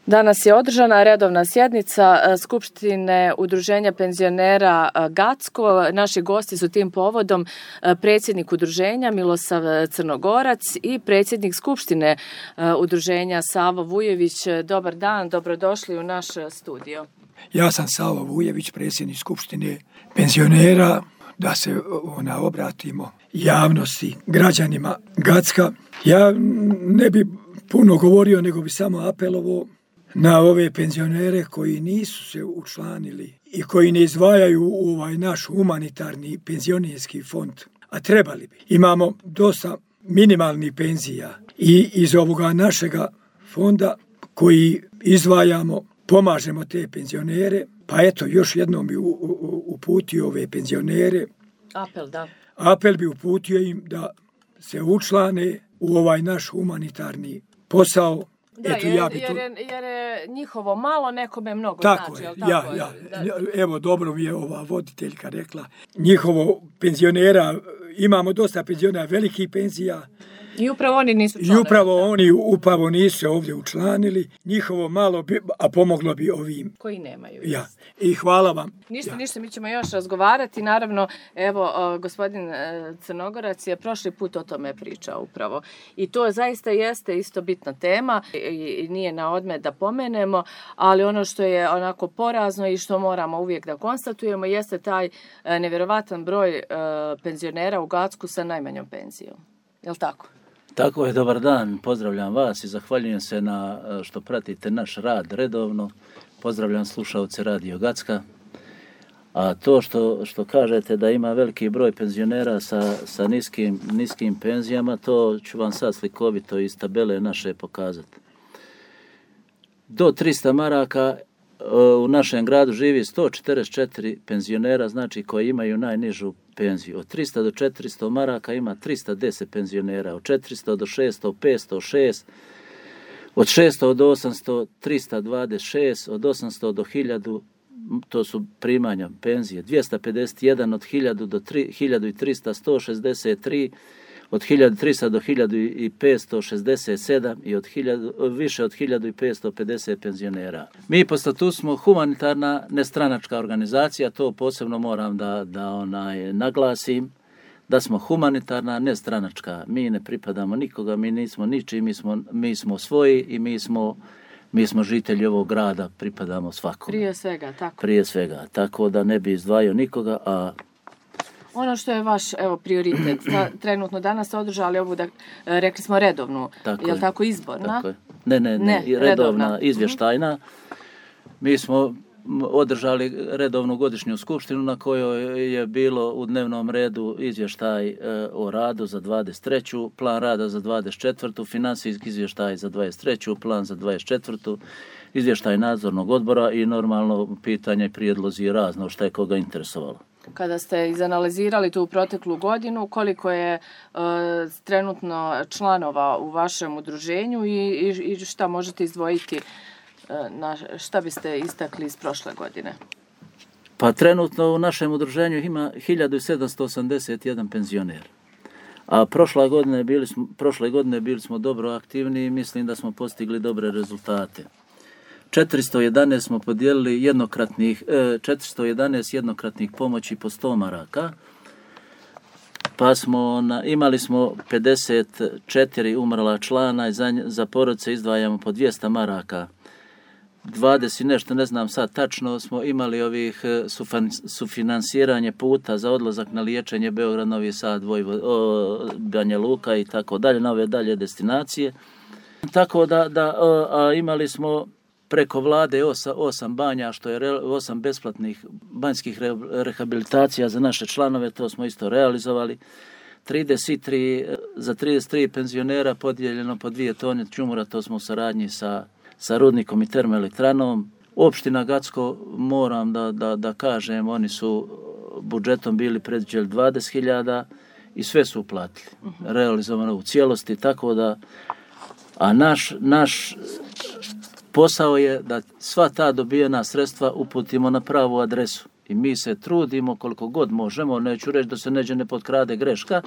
Danas je održana redovna sjednica Skupštine Udruženja penzionera Gacko. Naši gosti su tim povodom predsjednik udruženja Milosav Crnogorac i predsjednik Skupštine Udruženja Savo Vujević. Dobar dan, dobrodošli u naš studio. Ja sam Savo Vujević, predsjednik Skupštine penzionera, da se obratimo javnosti, građanima Gacka. Ja ne bi puno govorio, nego bi samo apelovao na ove penzionere koji nisu se učlanili i koji ne izdvajaju u ovaj naš humanitarni penzionerski fond, a trebali bi. Imamo dosta minimalnih penzija i iz ovoga našega fonda koji izdvajamo, pomažemo te penzionere, pa eto, još jednom bi uputio ove penzionere. Apel bi uputio im da se učlane u ovaj naš humanitarni posao. Da, jer je njihovo malo, nekome mnogo tako znači. Evo, dobro mi je ova voditeljka rekla. Njihovo penzionera, imamo dosta penzionera velikih penzija. I upravo oni nisu članovi. I upravo nisu se ovdje učlanili. Njihovo malo bi, a pomoglo bi ovim koji nemaju. Ja. I hvala vam. Ništa, mi ćemo još razgovarati. Naravno, evo, gospodin Crnogorac je prošli put o tome pričao upravo. I to zaista jeste isto bitna tema i nije na odmet da pomenemo, ali ono što je onako porazno i što moramo uvijek da konstatujemo jeste taj nevjerovatan broj penzionera u Gacku sa najmanjom penzijom. Je li tako? Tako je, dobar dan, pozdravljam vas i zahvaljujem se na što pratite naš rad redovno. Pozdravljam slušalce Radio Gacka. A to što kažete da ima veliki broj penzionera sa niskim penzijama, to ću vam sad slikovito iz tabele naše pokazati. Do 300 maraka u našem gradu živi 144 penzionera, znači koji imaju najnižu penziju. Od 300 do 400 maraka ima 310 penzionera, od 400 do 600, 506, od 600 do 800, 326, od 800 do 1000, to su primanja penzije, 251, od 1000 do 1300, 163, od 1300 do 1567 i više od 1550 penzionera. Mi po statutu smo humanitarna nestranačka organizacija, to posebno moram da naglasim, da smo humanitarna nestranačka. Mi ne pripadamo nikoga, mi nismo ničiji, mi smo svoji i mi smo žitelji ovog grada, pripadamo svakome. Prije svega, tako da ne bi izdvajao nikoga, a ono što je vaš prioritet, trenutno danas ste održali ovu, rekli smo redovnu, je li tako izborna? Tako je. Ne, redovna, izvještajna. Mi smo održali redovnu godišnju skupštinu na kojoj je bilo u dnevnom redu izvještaj o radu za 23. plan rada za 24. financijski izvještaj za 23. plan za 24. izvještaj nadzornog odbora i normalno pitanje i prijedlozi razno što je koga interesovalo. Kada ste izanalizirali tu proteklu godinu, koliko je trenutno članova u vašem udruženju i šta možete izdvojiti, šta biste istakli iz prošle godine? Pa trenutno u našem udruženju ima 1781 penzioner. A prošle godine bili smo dobro aktivni i mislim da smo postigli dobre rezultate. 411 smo podijelili jednokratnih pomoći po 100 maraka, pa imali smo 54 umrla člana i za porodce izdvajamo po 200 maraka. 20 nešto, ne znam sad tačno, smo imali ovih sufinansiranje puta za odlazak na liječenje Beograd, Novi Sad, Banja Luka i tako dalje, na ove dalje destinacije. Tako da imali smo preko vlade 8 banja, što je 8 besplatnih banjskih rehabilitacija za naše članove, to smo isto realizovali. Za 33 penzionera podijeljeno po 2 tone ćumura, to smo u saradnji sa rudnikom i termoelektranom. Opština Gacko, moram da kažem, oni su budžetom bili predviđali 20.000 i sve su uplatili. Realizovano u cijelosti, tako da, a naš posao je da sva ta dobijena sredstva uputimo na pravu adresu. I mi se trudimo koliko god možemo, neću reći da se neđe ne potkrade greška,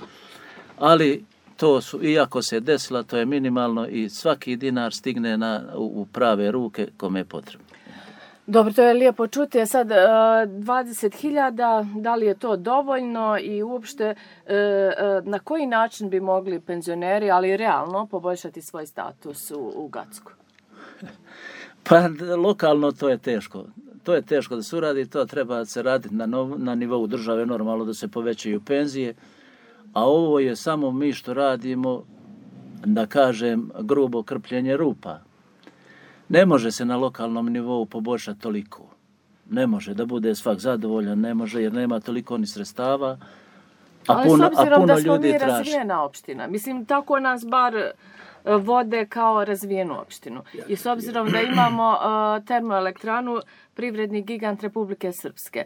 ali to su, iako se desila, to je minimalno i svaki dinar stigne u prave ruke kome je potrebno. Dobro, to je lijepo čuti. Sad 20.000, da li je to dovoljno i uopšte na koji način bi mogli penzioneri, ali realno, poboljšati svoj status u Gacku? Pa lokalno to je teško. To je teško da se uradi, to treba se raditi na nivou države, normalno da se povećaju penzije, a ovo je samo mi što radimo, da kažem, grubo krpljenje rupa. Ne može se na lokalnom nivou poboljšati toliko. Ne može da bude svak zadovoljan, ne može jer nema toliko ni sredstava, a puno ljudi traži. Ali s obzirom da smo mi razvijena opština, mislim tako nas bar vode kao razvijenu opštinu. I s obzirom da imamo termoelektranu, privredni gigant Republike Srpske.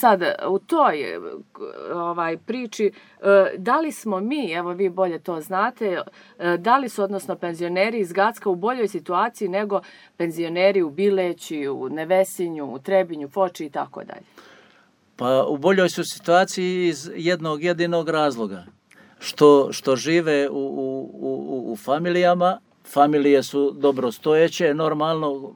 Sad, u toj priči, da li smo mi, evo vi bolje to znate, da li su odnosno penzioneri iz Gacka u boljoj situaciji nego penzioneri u Bileći, u Nevesinju, u Trebinju, Foči i tako dalje? Pa u boljoj su situaciji iz jednog jedinog razloga. Što žive u familijama, familije su dobro stojeće, normalno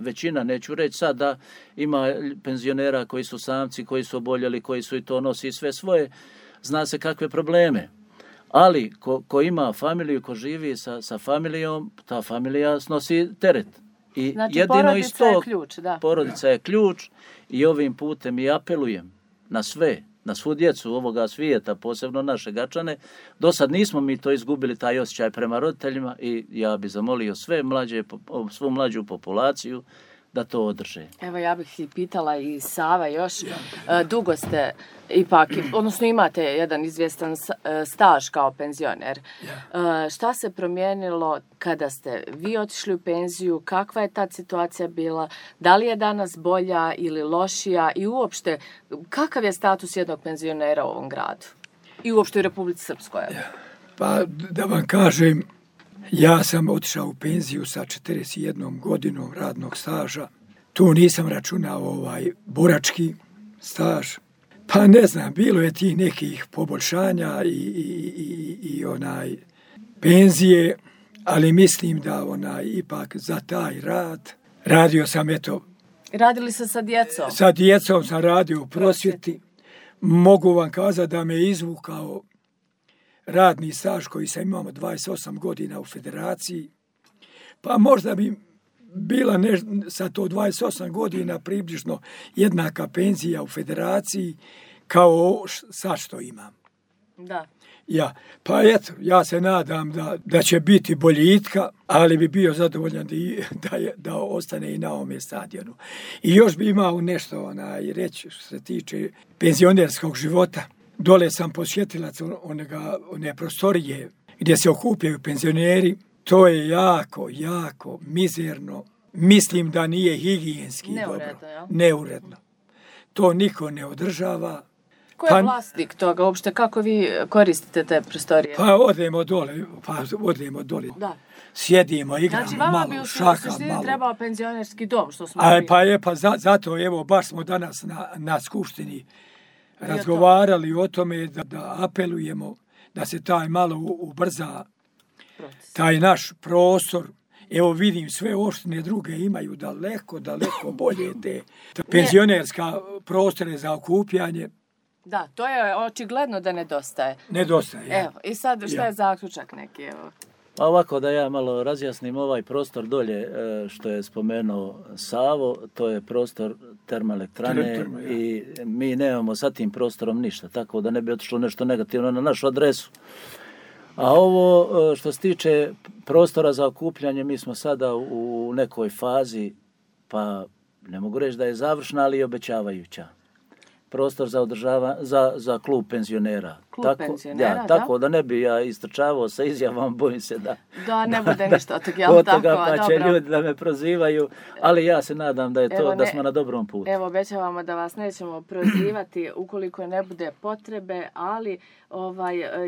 većina, neću reći sad da ima penzionera koji su samci, koji su oboljeli, koji su i to nosi sve svoje, zna se kakve probleme. Ali ko ima familiju, ko živi sa familijom, ta familija snosi teret. I znači porodica je ključ, da. Porodica je ključ i ovim putem i apelujem na sve, na svu djecu ovoga svijeta, posebno naše Gačane. Do sad nismo mi to izgubili, taj osjećaj prema roditeljima i ja bih zamolio svu mlađu populaciju da to održe. Evo ja bih i pitala i Sava još, dugo ste ipak, odnosno imate jedan izvjestan staž kao penzioner. Šta se promijenilo kada ste vi otišli u penziju, kakva je ta situacija bila, da li je danas bolja ili lošija i uopšte kakav je status jednog penzionera u ovom gradu i uopšte u Republici Srpskoj? Pa da vam kažem, ja sam otišao u penziju sa 41 godinom radnog staža. Tu nisam računao borački staž. Pa ne znam, bilo je tih nekih poboljšanja i penzije, ali mislim da ipak za taj rad radio sam Radili ste sa djecom? Sa djecom sam radio u prosvjeti. Mogu vam kazati da me izvukao radni staž koji sam imao 28 godina u federaciji, pa možda bi bila sa to 28 godina približno jednaka penzija u federaciji kao sad što imam. Da. Pa eto, ja se nadam da će biti boljitka, ali bi bio zadovoljan da ostane i na ovome stadionu. I još bi imao nešto reći što se tiče penzionerskog života. Dole sam posjetilac one prostorije gdje se okupljaju penzioneri. To je jako mizerno. Mislim da nije higijenski dobro. Neuredno. To niko ne održava. Ko je vlasnik toga uopšte? Kako vi koristite te prostorije? Pa odemo dole. Da. Sjedimo, igramo malo, šaha malo. Znači, vama bi u trebao penzionerski dom, što smo zato, evo, baš smo danas na skupštini razgovarali o tome da apelujemo da se taj malo ubrza taj naš prostor. Evo vidim, sve opštine druge imaju daleko bolje te penzionerska prostore za okupljanje. Da, to je očigledno da nedostaje. Nedostaje. Evo, i sad šta je zaključak neki, evo? Pa ovako da ja malo razjasnim ovaj prostor dolje što je spomenuo Savo, to je prostor termoelektrane i mi nemamo sa tim prostorom ništa, tako da ne bi otišlo nešto negativno na našu adresu. A ovo što se tiče prostora za okupljanje, mi smo sada u nekoj fazi, pa ne mogu reći da je završna, ali i obećavajuća. Prostor za klub penzionera. Tako da ne bi ja istrčavao sa izjavom, bojim se da ne bude ništa od toga, pa će ljudi da me prozivaju, ali ja se nadam da smo na dobrom putu. Evo, obećavamo da vas nećemo prozivati ukoliko ne bude potrebe, ali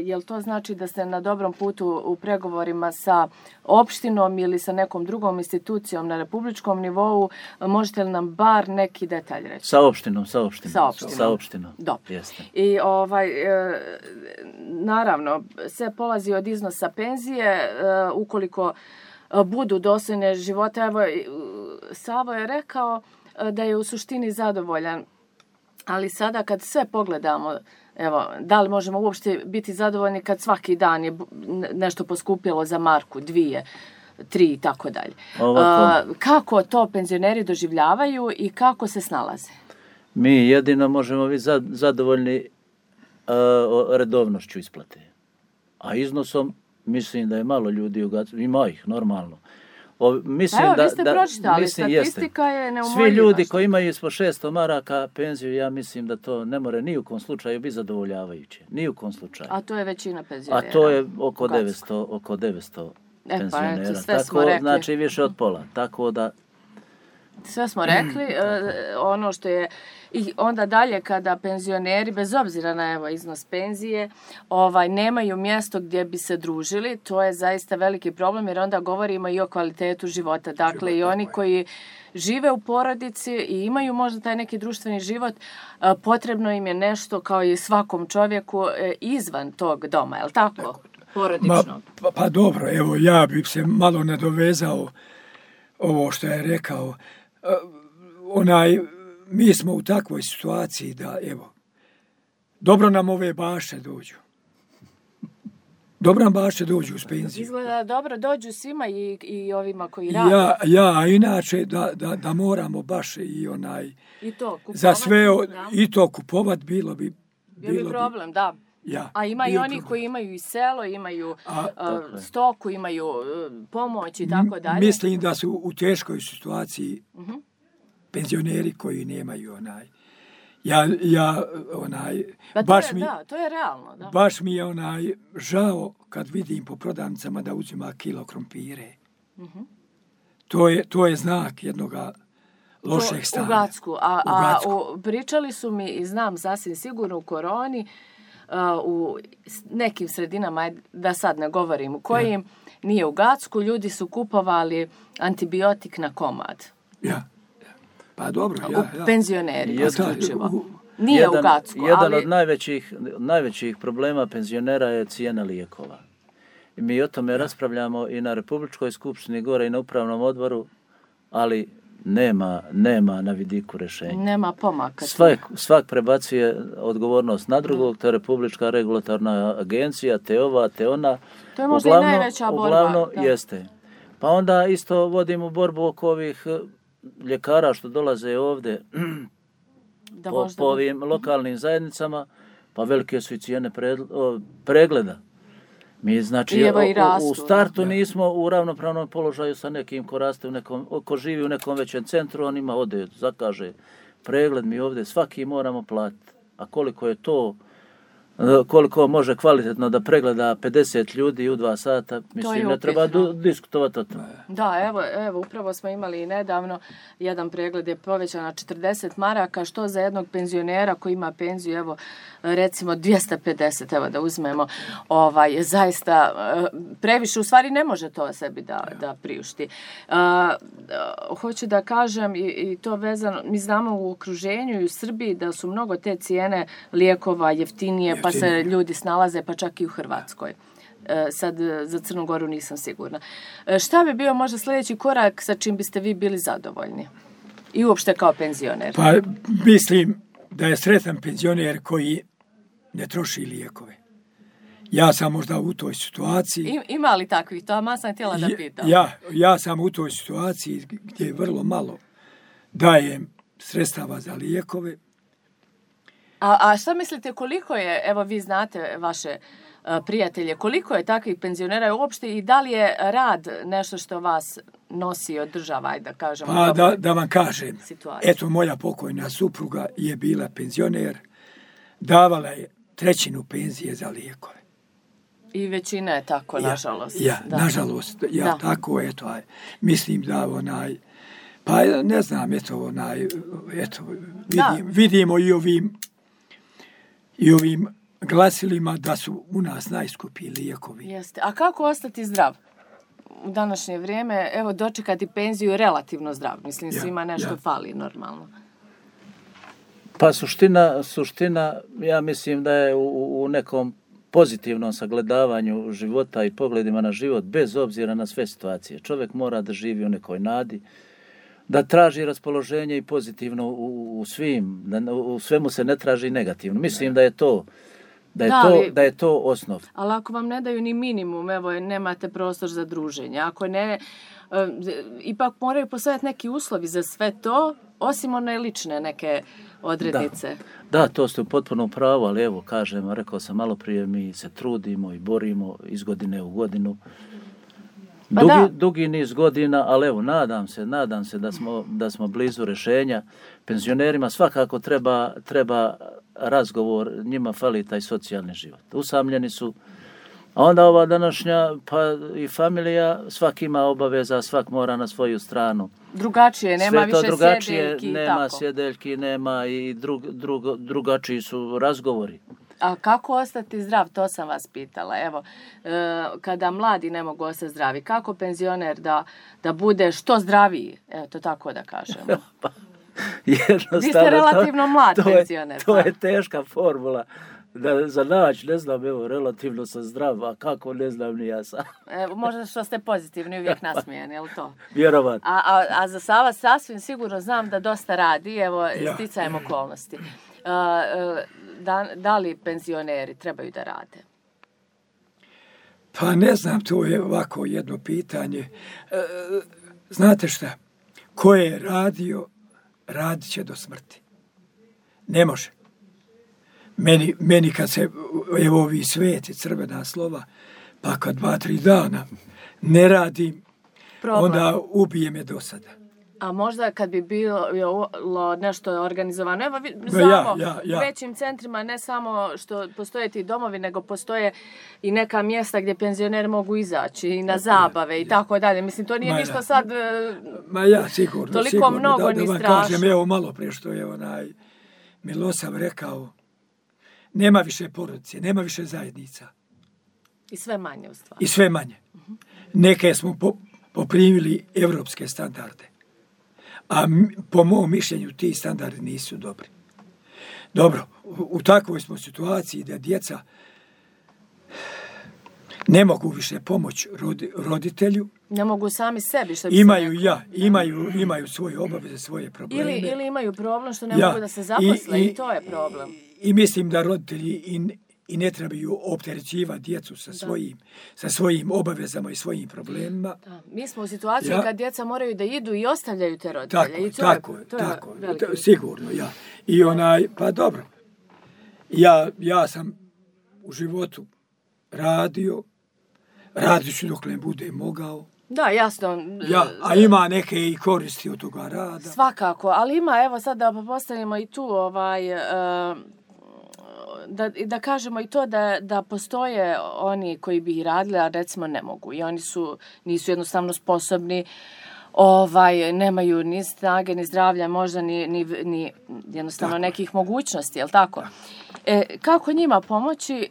jel to znači da ste na dobrom putu u pregovorima sa opštinom ili sa nekom drugom institucijom na republičkom nivou? Možete li nam bar neki detalj reći? Sa opštinom. Dobro. Jeste. I naravno, sve polazi od iznosa penzije, ukoliko budu dostojne života. Evo, Savo je rekao da je u suštini zadovoljan, ali sada kad sve pogledamo, evo, da li možemo uopšte biti zadovoljni kad svaki dan je nešto poskupilo za marku, 2, 3 i tako dalje. Kako to penzioneri doživljavaju i kako se snalaze? Mi jedino možemo biti zadovoljni redovnošću isplate. A iznosom mislim da je malo ljudi u Gacku, ima ih normalno. Mislim evo, vi ste pročitali, statistika je neumoljiva. Svi ljudi koji imaju ispod 600 maraka penziju, ja mislim da to ne more ni u kom slučaju biti zadovoljavajuće. Ni u kom slučaju. A to je većina penzionera. A to je oko 900 penzionera. Tako, znači više od pola. Tako da... Sve smo rekli, ono što je i onda dalje kada penzioneri, bez obzira na evo iznos penzije, nemaju mjesto gdje bi se družili, to je zaista veliki problem jer onda govorimo i o kvalitetu života. Dakle, i oni koji žive u porodici i imaju možda taj neki društveni život, potrebno im je nešto kao i svakom čovjeku izvan tog doma, je li tako? Porodično. Pa dobro, evo ja bih se malo nadovezao ovo što je rekao. Mi smo u takvoj situaciji da, evo, dobro nam ove baše dođu. Dobro nam baše dođu uz penziju. Izgleda dobro dođu svima i ovima koji rade. Ja, inače da moramo baš i to za sve i to kupovat bilo bi problem, da. Ja, a ima i oni koji imaju i selo, imaju stoku, imaju pomoć i tako dalje. Mislim da su u teškoj situaciji penzioneri koji nemaju to je realno. Da. Baš mi je žao kad vidim po prodavnicama da uzima kilo krompire. To je znak jednoga lošeg stanja. U Gacku. Pričali su mi i znam sasvim sigurno u koroni, u nekim sredinama, da sad ne govorim u kojim, nije u Gacku, ljudi su kupovali antibiotik na komad. Ja. Pa dobro, Penzioneri, isključivo. Nije u Gacku, jedan od najvećih problema penzionera je cijena lijekova. I mi o tome raspravljamo i na Republičkoj skupštini gore i na upravnom odboru, ali nema na vidiku rješenja. Nema pomaka. Svak prebacuje odgovornost na drugog, to je Republička regulatorna agencija, te ova, te ona. To je možda i najveća borba. Uglavnom jeste. Pa onda isto vodimo borbu oko ovih ljekara što dolaze ovdje po ovim lokalnim zajednicama, pa velike su i cijene pregleda. Mi znači u startu nismo u ravnopravnom položaju sa nekim ko raste ko živi u nekom većem centru, on ima ode, zakaže pregled, mi ovdje svaki moramo platiti. A koliko može kvalitetno da pregleda 50 ljudi u 2 sata, mislim ne treba diskutovati o tome. Da, evo, upravo smo imali i nedavno, jedan pregled je povećan na 40 maraka, što za jednog penzionera koji ima penziju, evo, recimo 250, evo da uzmemo, je zaista previše, u stvari ne može to sebi da priušti. Hoću da kažem i to vezano, mi znamo u okruženju i u Srbiji da su mnogo te cijene lijekova jeftinije, pa se ljudi snalaze, pa čak i u Hrvatskoj. Sad za Crnu Goru nisam sigurna. Šta bi bio možda sljedeći korak sa čim biste vi bili zadovoljni? I uopšte kao penzioner? Pa mislim da je sretan penzioner koji ne troši lijekove. Ja sam možda u toj situaciji. Ima li takvih? To sam htjela da pitam. Ja sam u toj situaciji gdje vrlo malo dajem sredstava za lijekove. A šta mislite koliko je, evo vi znate vaše prijatelje, koliko je takvih penzionera uopšte i da li je rad nešto što vas nosi, održava, da kažemo? Pa da vam kažem, eto moja pokojna supruga je bila penzioner, davala je 1/3 penzije za lijekove. I većina je tako, nažalost. Nažalost, tako, eto, mislim da pa ne znam, vidimo i ovim glasilima da su u nas najskuplji lijekovi. Jeste. A kako ostati zdrav u današnje vrijeme? Evo, dočekati penziju je relativno zdrav. Mislim, svima nešto fali normalno. Pa suština, ja mislim da je u nekom pozitivnom sagledavanju života i pogledima na život, bez obzira na sve situacije. Čovjek mora da živi u nekoj nadi, da traži raspoloženje i pozitivno u svim, da u svemu se ne traži negativno. Mislim da je to osnov. Ali ako vam ne daju ni minimum, evo, nemate prostor za druženje, ako ne, ipak moraju postojati neki uslovi za sve to, osim one lične neke odrednice. Da, to ste u potpuno pravo, ali evo, rekao sam malo prije, mi se trudimo i borimo iz godine u godinu. Dugi niz godina, ali evo, nadam se da smo blizu rješenja. Penzionerima svakako treba razgovor, njima fali taj socijalni život. Usamljeni su, a onda ova današnja, pa i familija, svak ima obaveza, svak mora na svoju stranu. Drugačije, nema više sjedeljki. Nema sjedeljki, nema i drugačiji su razgovori. A kako ostati zdrav, to sam vas pitala. Evo, kada mladi ne mogu ostati zdravi, kako penzioner da bude što zdraviji? Evo, to tako da kažemo. Vi ste relativno mlad penzioner. To je teška formula. Za naći, ne znam, evo, relativno sam zdrav, a kako, ne znam ni ja sam. Možda što ste pozitivni, uvijek nasmijeni, je li to? Vjerovatno. A za Sava sasvim sigurno znam da dosta radi, evo, sticajem okolnosti. Da li penzioneri trebaju da rade? Pa ne znam, to je ovako jedno pitanje. Znate šta? Ko je radio, radit će do smrti. Ne može. Meni kad se, evo ovi sveti, crvena slova, pa kad 2-3 dana ne radim, onda ubije me do sada. A možda kad bi bilo nešto organizovano, evo znamo u većim centrima ne samo što postoje ti domovi, nego postoje i neka mjesta gdje penzioneri mogu izaći i na zabave i tako dalje. Mislim, to nije ništa sad toliko mnogo ni strašno. Da vam kažem, evo malo prije što je Milosav rekao, nema više porodice, nema više zajednica. I sve manje u stvari. I sve manje. Neke smo poprimili evropske standarde. A po mom mišljenju ti standardi nisu dobri. Dobro, u takvoj smo situaciji da djeca ne mogu više pomoći roditelju. Ne mogu sami sebi. Što imaju svoje obaveze, svoje probleme. Ili imaju problem što ne mogu da se zaposle i to je problem. I mislim da roditelji i ne trebaju opterećivati djecu sa svojim obavezama i svojim problemima. Da. Mi smo u situaciji kad djeca moraju da idu i ostavljaju te roditelje. Tako, sigurno, ja. I pa dobro, ja sam u životu radit ću dok ne bude mogao. Da, jasno. A ima neke i koristi od toga rada. Svakako, ali ima, evo sad da postavimo i tu da kažemo i to da postoje oni koji bi radili, a recimo ne mogu. I oni nisu jednostavno sposobni, nemaju ni snage, ni zdravlja, možda ni jednostavno nekih mogućnosti, je li tako? Kako njima pomoći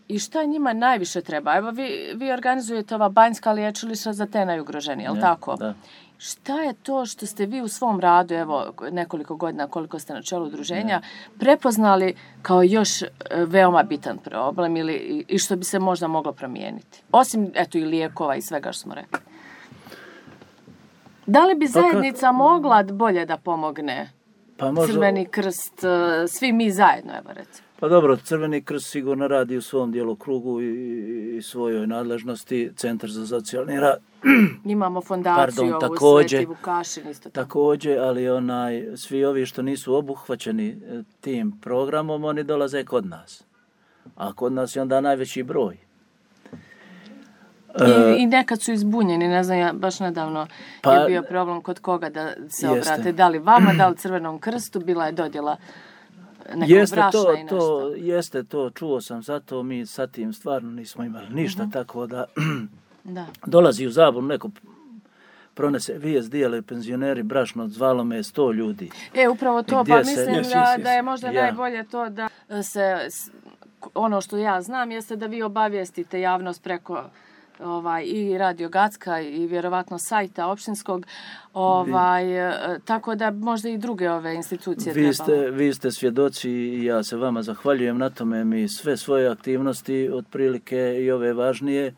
i šta njima najviše treba? Evo vi organizujete ova banjska liječilišta za te najugroženije, je li tako? Da. Šta je to što ste vi u svom radu, evo nekoliko godina koliko ste na čelu udruženja, prepoznali kao još veoma bitan problem i što bi se možda moglo promijeniti? Osim, i lijekova i svega što smo rekli. Da li bi zajednica mogla bolje da pomogne? Crveni krst, svi mi zajedno, evo recimo. Pa dobro, Crveni krst sigurno radi u svom djelokrugu i svojoj nadležnosti, Centar za socijalni rad. Imamo fondaciju ovu Sveti Vukašin isto tako. Također, ali svi ovi što nisu obuhvaćeni tim programom, oni dolaze kod nas. A kod nas je onda najveći broj. I nekad su izbunjeni, ne znam, ja baš nedavno je bio problem kod koga da se obrate. Da li vama, da li Crvenom krstu, bila je dodjela nekog brašna i nešto. Jeste to, čuo sam, zato mi sa tim stvarno nismo imali ništa, tako da dolazi u zabunu neko pronese vijest, dijele penzioneri brašno, zvalo me 100 ljudi. Upravo to, pa mislim da je možda najbolje to da se, ono što ja znam, jeste da vi obavijestite javnost preko i Radio Gacka i vjerovatno sajta opštinskog, tako da možda i druge ove institucije trebalo. Vi ste svjedoci i ja se vama zahvaljujem na tome. Mi sve svoje aktivnosti, otprilike i ove važnije,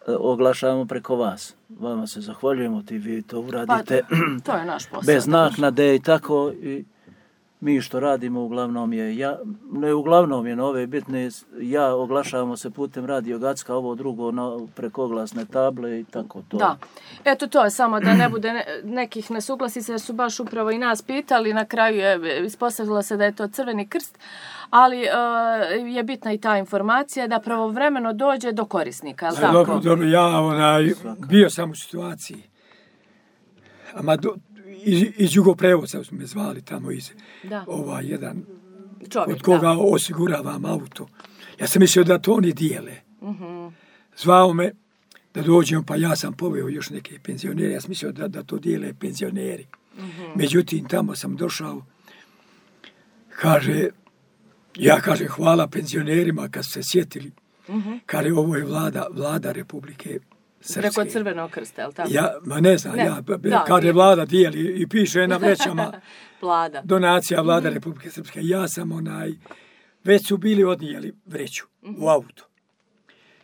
oglašavamo preko vas. Vama se zahvaljujemo, vi to uradite. To je naš posao. Bez naknade i tako. I mi što radimo uglavnom je, na ove bitne, oglašavamo se putem Radio Gacka, ovo drugo preko oglasne table i tako to. Da, eto to je samo da ne bude nekih nesuglasica, jer su baš upravo i nas pitali, na kraju je ispostavilo se da je to Crveni krst, ali je bitna i ta informacija da pravovremeno dođe do korisnika, je li tako? Dobro, ja bio sam u situaciji, iz Jugoprevoza su me zvali tamo iz jedan čovjek, od koga osiguravam auto. Ja sam mislio da to oni dijele. Zvao me da dođem, pa ja sam poveo još neke penzionere. Ja sam mislio da to dijele penzioneri. Međutim, tamo sam došao, ja kažem hvala penzionerima kad su se sjetili. Kaže, ovo je vlada Republike Srpske. Preko Crvenog krsta, je li tako? Ne znam, kada vlada dijeli i piše na vrećama donacija vlada Republike Srpske. Ja sam već su bili odnijeli vreću u auto.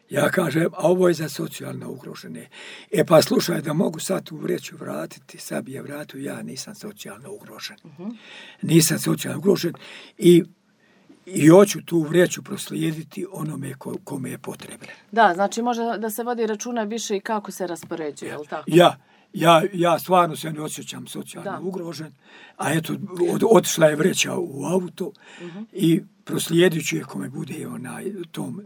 Ja kažem, a ovo je za socijalno ugrožene. Pa slušaj, da mogu sad tu vreću vratiti, sad bi je vratio, ja nisam socijalno ugrožen. Nisam socijalno ugrožen i hoću tu vreću proslijediti onome kome je potrebno. Da, znači može da se vodi računa više i kako se raspoređuje, je li tako? Ja stvarno se ne osjećam socijalno ugrožen, a eto, otišla je vreća u auto i proslijedit ću je kome bude tom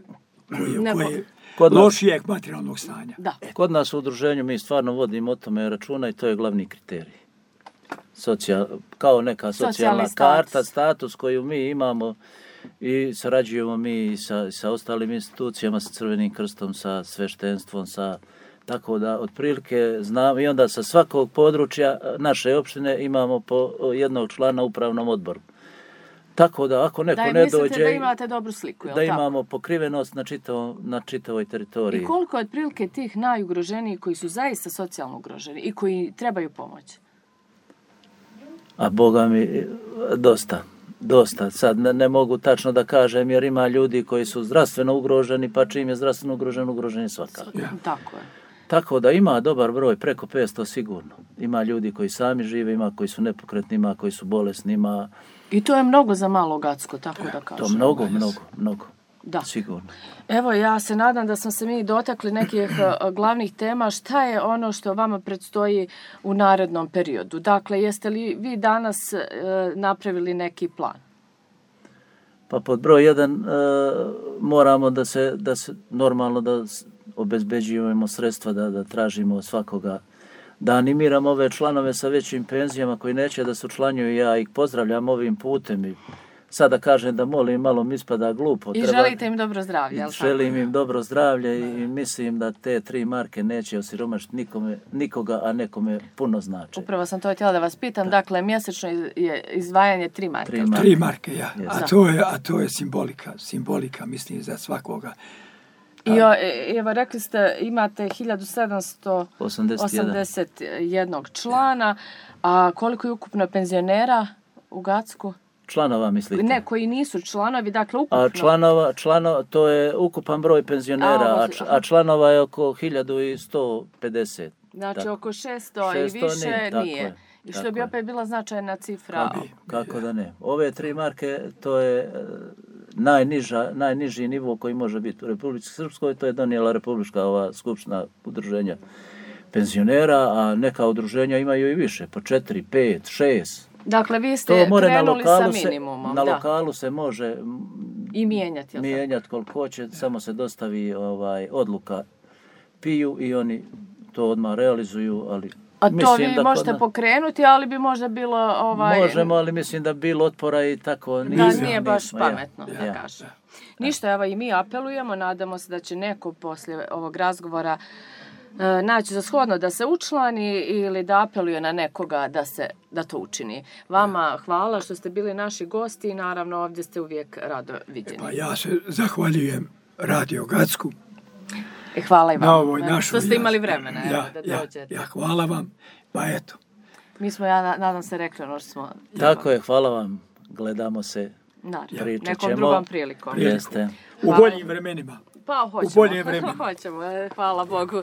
koje je lošijeg materijalnog stanja. Da. Kod nas u udruženju mi stvarno vodimo o tome računa i to je glavni kriterij. Kao neka socijalna karta, status koju mi imamo i sarađujemo mi sa ostalim institucijama, sa Crvenim krstom, sa sveštenstvom, tako da otprilike znam i onda sa svakog područja naše opštine imamo po jednog člana u upravnom odboru. Tako da ako neko ne dođe... Da mislite da imate dobru sliku, je li tako? Da imamo pokrivenost na čitavoj teritoriji. I koliko je otprilike tih najugroženijih koji su zaista socijalno ugroženi i koji trebaju pomoć? A Boga mi, dosta. Sad ne mogu tačno da kažem jer ima ljudi koji su zdravstveno ugroženi, pa čim je zdravstveno ugrožen je svakako. Tako je. Tako da ima dobar broj, preko 500 sigurno. Ima ljudi koji sami žive, ima koji su nepokretni, ima koji su bolesni, ima... I to je mnogo za malo Gacko, tako da kažem. To mnogo. Da. Sigurno. Evo, ja se nadam da smo se mi dotakli nekih glavnih tema. Šta je ono što vama predstoji u narednom periodu? Dakle, jeste li vi danas napravili neki plan? Pa pod broj 1 moramo da se normalno da obezbeđujemo sredstva, da tražimo od svakoga, da animiramo ove članove sa većim penzijama koji neće da se učlanjuju. Ja ih pozdravljam ovim putem i sada kažem da molim, malo mi ispada glupo. I želite im dobro zdravlje, ali želim im dobro zdravlje i mislim da te 3 marke neće osiromašiti nikoga, a nekome puno znači. Upravo sam to htjela da vas pitam. Dakle, mjesečno je izdvajanje 3 marke. 3 marke, ja. A to je simbolika, mislim, za svakoga. I evo, rekli ste, imate 1781 člana, a koliko je ukupno penzionera u Gacku? Članova, mislite? Ne, koji nisu članovi, dakle ukupno. A to je ukupan broj penzionera, a članova je oko 1150. Znači oko 600 i više nije. I što bi opet bila značajna cifra. Kako da ne. Ove 3 marke, to je najniži nivo koji može biti u Republici Srpskoj, to je donijela Republička skupština udruženja penzionera, a neka udruženja imaju i više, po 4, 5, 6. Dakle, vi ste krenuli sa minimumom. Na lokalu se može i mijenjati koliko hoće, samo se dostavi odluka PIU i oni to odmah realizuju, ali a to vi možete pokrenuti, ali bi možda bilo... Možemo, ali mislim da bi bilo otpora i tako... Nije baš pametno, da kažem. Ništa, evo i mi apelujemo, nadamo se da će neko poslije ovog razgovora naći za shodno da se učlani ili da apeluje na nekoga da to učini. Vama hvala što ste bili naši gosti i naravno ovdje ste uvijek rado viđeni. Pa ja se zahvaljujem Radio Gacku Hvala i na vam. ovoj našoj. Što ste imali vremena da dođete. Ja, hvala vam. Pa eto. Mi smo, ja nadam se, rekli ono što smo... Tako je, hvala vam. Gledamo se, pričat Nekom ćemo. drugom prilikom. Jeste. U boljim vremenima. Pa hoćemo. U bolje vremena. Hoćemo, hvala Bogu.